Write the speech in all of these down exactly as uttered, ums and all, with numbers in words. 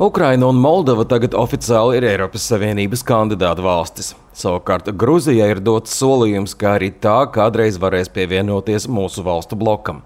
Ukraina un Moldova tagad oficiāli ir Eiropas Savienības kandidātu valstis. Savukārt Gruzijai ir dots solījums, ka arī tā kādreiz varēs pievienoties mūsu valstu blokam.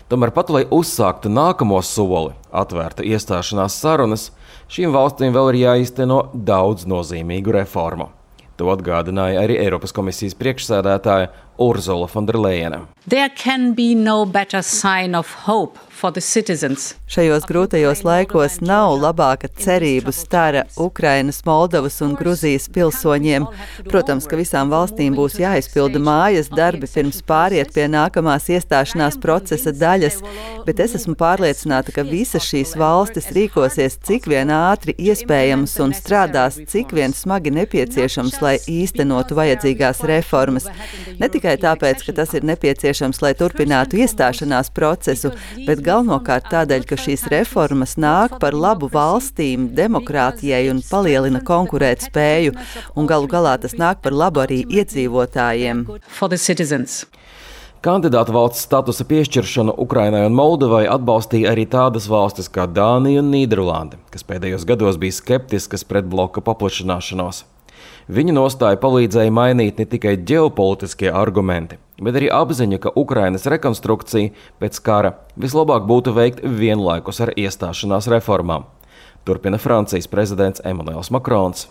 Tomēr pat, lai uzsāktu nākamo soli, atvērta iestāšanās sarunas, šīm valstīm vēl ir jāīsteno daudz nozīmīgu reformu. To atgādināja arī Eiropas komisijas priekšsēdētāja Ursula von der Leyena. There can be no better sign of hope for the citizens. Šajos grūtajos laikos nav labāka cerību stara Ukrainas, Moldovas un Gruzijas pilsoņiem. Protams, ka visām valstīm būs jāizpilda mājas darbi pirms pāriet pie nākamās iestāšanās procesa daļas, bet es esmu pārliecināta, ka visas šīs valstis rīkosies cik vien ātri iespējams un strādās cik vien smagi nepieciešams, lai īstenotu vajadzīgās reformas. Ne tikai tāpēc, ka tas ir nepieciešams, lai turpinātu iestāšanās procesu, bet galvenokārt tādēļ, ka šīs reformas nāk par labu valstīm, demokrātijai un palielina konkurētspēju, un galu galā tas nāk par labu arī iedzīvotājiem. Kandidātu valsts statusa piešķiršanu Ukrainai un Moldovai atbalstīja arī tādas valstis kā Dānija un Nīderlande, kas pēdējos gados bija skeptiskas pret bloka paplašināšanos. Viņu nostāju palīdzēja mainīt ne tikai ģeopolitiskie argumenti, bet arī apziņa, ka Ukrainas rekonstrukcija pēc kara vislabāk būtu veikt vienlaikus ar iestāšanās reformām. Turpina Francijas prezidents Emmanuels Macrons.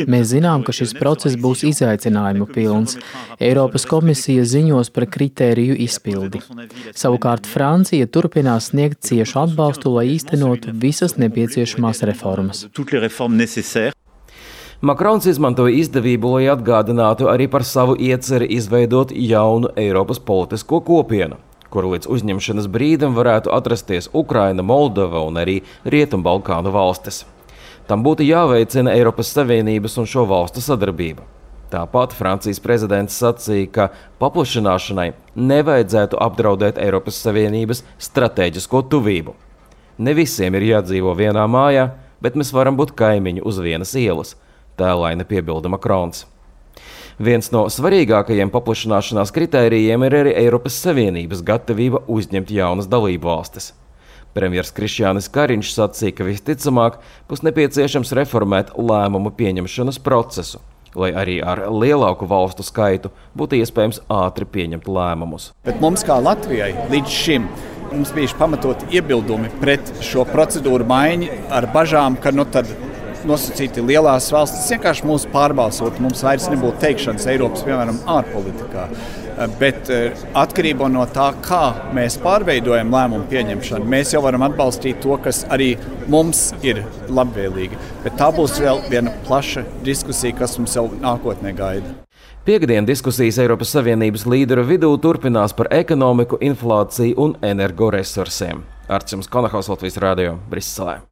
Mēs zinām, ka šis process būs izaicinājumu pilns. Eiropas komisija ziņos par kritēriju izpildi. Savukārt Francija turpinās sniegt ciešu atbalstu, lai īstenotu visas nepieciešamās reformas. Macrons izmantoja izdevību, lai atgādinātu arī par savu ieceri izveidot jaunu Eiropas politisko kopienu, kuru līdz uzņemšanas brīdim varētu atrasties Ukraina, Moldova un arī Rietumbalkānu valstis. Tam būtu jāveicina Eiropas Savienības un šo valstu sadarbība. Tāpat Francijas prezidents sacīja, ka paplašināšanai nevajadzētu apdraudēt Eiropas Savienības stratēģisko tuvību. Ne visiem ir jādzīvo vienā mājā, bet mēs varam būt kaimiņi uz vienas ielas, tēlaini piebilda Macrons. Viens no svarīgākajiem paplašināšanās kritērijiem ir arī Eiropas Savienības gatavība uzņemt jaunas dalību valstis. Premjers Krišjānis Kariņš sacīja, ka visticamāk būs nepieciešams reformēt lēmumu pieņemšanas procesu, lai arī ar lielāku valstu skaitu būtu iespējams ātri pieņemt lēmumus. Bet mums kā Latvijai līdz šim mums bijuši pamatoti iebildumi pret šo procedūru maiņu ar bažām, ka nu tad nosacīti lielās valstis vienkārši mūs pārbalsot, mums vairs nebūtu teikšanas Eiropas, piemēram, ārpolitikā. Bet atkarībā no tā, kā mēs pārveidojam lēmumu pieņemšanu, mēs jau varam atbalstīt to, kas arī mums ir labvēlīgi. Bet tā būs vēl viena plaša diskusija, kas mums jau nākotnē gaida. Piektdien diskusijas Eiropas Savienības līderu vidū turpinās par ekonomiku, inflāciju un energoresursiem. Arts jums Konahaus, Latvijas radio, Briselē.